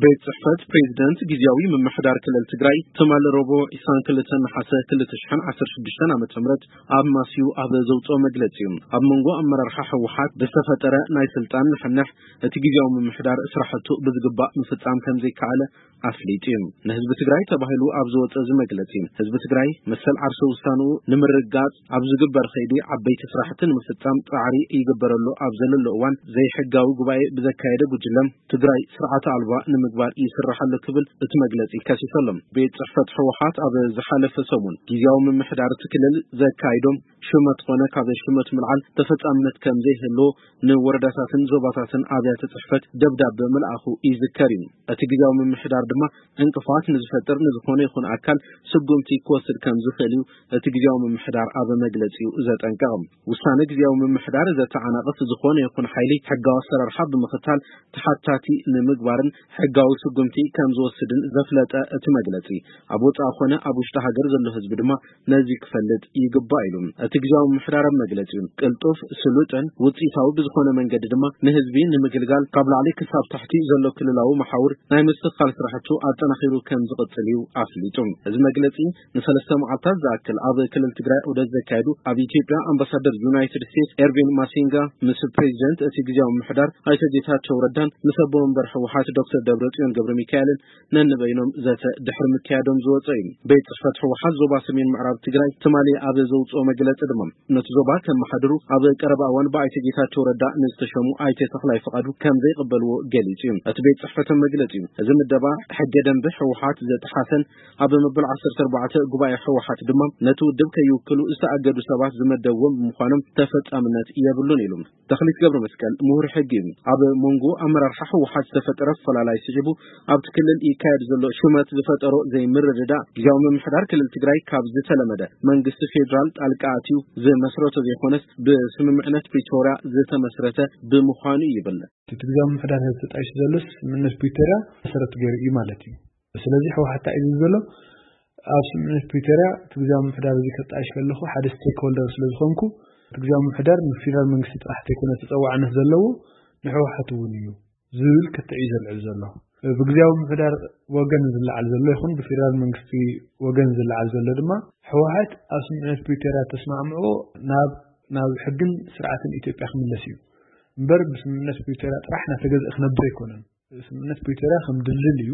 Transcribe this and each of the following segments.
ቤት ጽሕፈት ፕሬዚደንት ግዜያዊ ምምሕዳር ክልል ትግራይ ትማሊ ረቡዕ ዕስራን ክልተን ነሓሰ ክልተ ሽሕን ዓሰርተ ሽዱሽተን ዓመተ ምህረት ኣብ ማስዩ ኣብ ዘውፅኦ መግለጺ እዩ። ኣብ መንጎ ኣመራርሓ ህወሓት ብዝተፈጠረ ናይ ስልጣን ንሕንሕ እቲ ግዜያዊ ምምሕዳር ስራሕቱ ብዝግባእ ምፍጻም ከም ዘይከኣለ ኣፍሊጡ እዩ። ንህዝቢ ትግራይ ተባሂሉ ኣብ ዝወፀ እዚ መግለጺ ህዝቢ ትግራይ መሰል ዓርሰ ውሳንኡ ንምርጋጽ ኣብ ዝግበር ከይዲ ዓበይቲ ስራሕቲ ንምፍጻም ጻዕሪ ይግበረሉ ኣብ ዘለሎ እዋን ዘይሕጋዊ ጉባኤ ብዘካየደ ጉጅለ ትግራይ ስርዓተ ኣልባ ንምግባር ይስራሕ ኣሎ ክብል እቲ መግለጺ ከሲሱ ኣሎ። ቤት ጽሕፈት ህወሓት ኣብ ዝሓለፈ ሰሙን ግዜያዊ ምምሕዳር እቲ ክልል ዘካይዶም ሽመት ኮነ ካብ ሽመት ምልዓል ተፈጻምነት ከም ዘይህልዎ ንወረዳታትን ዞባታትን ኣብያተ ጽሕፈት ደብዳበ ምልኣኹ ይዝከር እዩ። እቲ ግዜያዊ ምምሕዳር ድማ ዕንቅፋት ንዝፈጥር ንዝኾነ ይኹን ኣካል ስጉምቲ ክወስድ ከም ዝኽእል እዩ እቲ ግዜያዊ ምምሕዳር ኣብ መግለጺኡ ዘጠንቀቐ። ውሳነ ግዜያዊ ምምሕዳር ዘተዓናቕፍ ዝኾነ ይኹን ሓይሊ ሕጋዊ ኣሰራርሓ ብምኽታል ተሓታቲ ንምግባርን ሕጋዊ ስጉምቲ ከም ዝወስድን ዘፍለጠ እቲ መግለጺ፣ ኣብ ወጻኢ ኾነ ኣብ ውሽጢ ሃገር ዘሎ ህዝቢ ድማ ነዚ ክፈልጥ ይግባእ ኢሉ። እቲ ግዜያዊ ምምሕዳር ኣብ መግለጺኡ፣ ቅልጡፍ፣ ስሉጥን ውጽኢታዊ ብዝኾነ መንገዲ ድማ ንህዝቢ ንምግልጋል ካብ ላዕሊ ክሳብ ታሕቲ ዘሎ ክልላዊ መሓውር ናይ ምስትኽኻል ስራሕቱ ኣጠናኺሩ ከም ዝቕጽል እዩ ኣፍሊጡ። እዚ መግለጺ ንሰለስተ መዓልታት ዝኣክል ኣብ ክልል ትግራይ ዑደት ዘካየዱ ኣብ ኢትዮጵያ ኣምባሳደር ዩናይትድ ስቴትስ ኤርቪን ማሲንጋ ምስ ፕሬዚደንት እቲ ግዜያዊ ምምሕዳር ኣይተ ጌታቸው ረዳን ምስ ኣቦ መንበር ህወሓት ዶክተር ደብረጽዮን ገብረ ሚካኤልን ነንበይኖም ዘተ ድሕሪ ምክያዶም ዝወፀ እዩ። ቤት ጽሕፈት ህወሓት ዞባ ሰሜን ምዕራብ ትግራይ ትማሊ ኣብ ዘውፅኦ መግለፂ ድማ ነቲ ዞባ ከመሓድሩ ኣብ ቀረባ እዋን ብኣይተ ጌታቸው ረዳ ንዝተሸሙ ኣይተ ተኽላይ ፍቓዱ ከም ዘይቕበልዎ ገሊጹ እዩ። እቲ ቤት ጽሕፈት መግለጺ እዩ። እዚ ምደባ ሕገ ደንቢ ህወሓት ዘጥሓሰን ኣብ መበል ዓሰርተ ኣርባዕተ ጉባኤ ህወሓት ድማ ነቲ ውድብ ከይውክሉ ዝተኣገዱ ሰባት ዝመደብዎም ብምዃኖም ተፈጻምነት የብሉን ኢሉ። ተኽሊት ገብረ መስቀል ምሁር ሕጊ እዩ። ኣብ መንጎ ኣመራርሓ ህወሓት ዝተፈጠረ ፈላላይ ስዒቡ ኣብቲ ክልል ይካየድ ዘሎ ሹመት ዝፈጠሮ ዘይምርድዳእ ግዜያዊ ምምሕዳር ክልል ትግራይ ካብ ዝተለመደ መንግስቲ ፌዴራል ጣልቃ ኣትዩ ዝመስረቶ ዘይኮነስ ብስምምዕነት ፕሪቶርያ ዝተመስረተ ብምዃኑ ይብል። እቲ ግዜያዊ ምምሕዳር ተጣይሹ ዘሎስ ስምምዕነት ፕሪቶርያ መሰረት ገይሩ እዩ ማለት እዩ። ስለዚህ ህወሓት እንታይ እዩ ዝብል ዘሎ? ኣብ ስምምዕነት ፕሪቶርያ እቲ ግዜያዊ ምምሕዳር እዚ ከጣይሽ ከለኹ ሓደ ስቴክሆልደር ስለ ዝኾንኩ እቲ ግዜያዊ ምምሕዳር ንፌዴራል መንግስቲ ጥራሕ ዘይኮነ ተፀዋዕነት ዘለዎ ንህወሓት እውን እዩ ዝብል ክትዕ እዩ ዘልዕል ዘሎ። ብግዜያዊ ምምሕዳር ወገን ዝለዓል ዘሎ ይኹን ብፌዴራል መንግስቲ ወገን ዝለዓል ዘሎ ድማ ህወሓት ኣብ ስምምዕነት ፕሪቶርያ ተስማዕምዖ ናብ ናብ ሕግን ስርዓትን ኢትዮጵያ ክምለስ እዩ እምበር ብስምምዕነት ፕሪቶርያ ጥራሕ እናተገዝአ ክነብር ኣይኮነን። ስምምዕነት ፕሪቶርያ ከም ድልድል እዩ።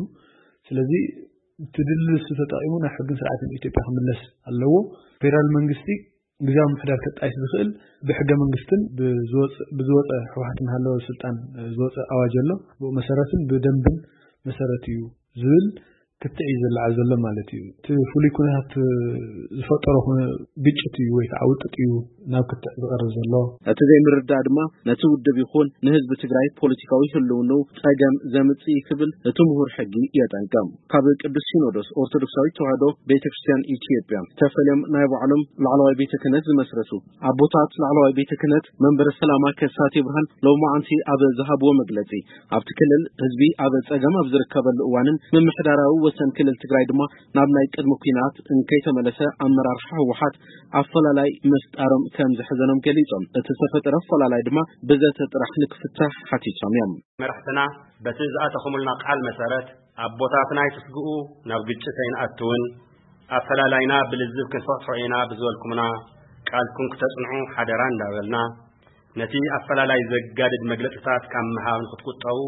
ስለዚ እቲ ድልድል እሱ ተጠቒሙ ናብ ሕግን ስርዓትን ኢትዮጵያ ክምለስ ኣለዎ። ፌዴራል መንግስቲ ግዜያዊ ምምሕዳር ከጣይሽ ዝኽእል ብሕገ መንግስትን ብዝወፀ ህወሓት እናሃለወ ስልጣን ዝወፀ ኣዋጅ ኣሎ። ብኡ መሰረትን ብደንብን መሰረት እዩ ዝብል ክትዕ እዩ ዝለዓል ዘሎ ማለት እዩ። እቲ ፍሉይ ኩነታት ዝፈጠሮ ግጭት እዩ ወይ ከዓ ውጥጥ እዩ ናብ ክትዕ ዝቐርብ ዘሎ። እቲ ዘይምርዳእ ድማ ነቲ ውድብ ይኹን ንህዝቢ ትግራይ ፖለቲካዊ ህልውንኡ ፀገም ዘምፅእ እዩ ክብል እቲ ምሁር ሕጊ የጠንቅቕ። ካብ ቅዱስ ሲኖዶስ ኦርቶዶክሳዊት ተዋህዶ ቤተ ክርስቲያን ኢትዮጵያ ተፈልዮም ናይ ባዕሎም ላዕለዋይ ቤተ ክህነት ዝመስረቱ ኣቦታት ላዕለዋይ ቤተ ክህነት መንበረ ሰላማ ከሳቴ ብርሃን ሎማዓንቲ ኣብ ዝሃብዎ መግለፂ ኣብቲ ክልል ህዝቢ ኣብ ፀገም ኣብ ዝርከበሉ እዋንን ምምሕዳራዊ ወሰን ክልል ትግራይ ድማ ናብ ናይ ቅድሚ ኲናት እንከይተመለሰ ኣመራርሓ ህወሓት ኣፈላላይ ምፍጣሮም ከም ዘሕዘኖም ገሊፆም። እቲ ዝተፈጠረ ኣፈላላይ ድማ ብዘተ ጥራሕ ንክፍታሕ ሓቲቶም እዮም። መራሕትና በቲ ዝኣተኹምልና ቃል መሰረት ኣቦታትና ኣይትስግኡ፣ ናብ ግጭት ኣይንኣትውን፣ ኣፈላላይና ብልዝብ ክንፈትሖ ኢና ብዝበልኩምና ቃልኩም ክተጽንዑ ሓደራ እንዳበልና ነቲ ኣፈላላይ ዘጋድድ መግለጽታት ካብ ምሃብ ንክትቁጠቡ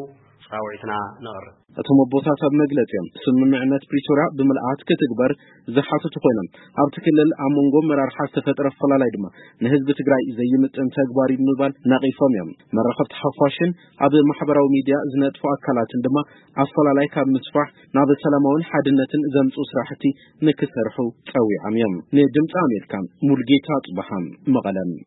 ጻውዒትና ነቕርብ። እቶም ኣቦታት ኣብ መግለጺኦም ስምምዕነት ፕሪቶርያ ብምልኣት ክትግበር ዝሓተቱ ኮይኖም ኣብቲ ክልል ኣብ መንጎ ኣመራርሓ ዝተፈጠረ ኣፈላላይ ድማ ንህዝቢ ትግራይ ዘይምጥን ተግባር እዩ ብምባል ነቒፎም እዮም። መራኸብቲ ሓፋሽን ኣብ ማሕበራዊ ሚድያ ዝነጥፉ ኣካላትን ድማ ኣፈላላይ ካብ ምስፋሕ ናብ ሰላማውን ሓድነትን ዘምፅኡ ስራሕቲ ንክሰርሑ ፀዊዖም እዮም። ንድምፂ ኣሜሪካ ሙልጌታ ጽባሓ መቐለ።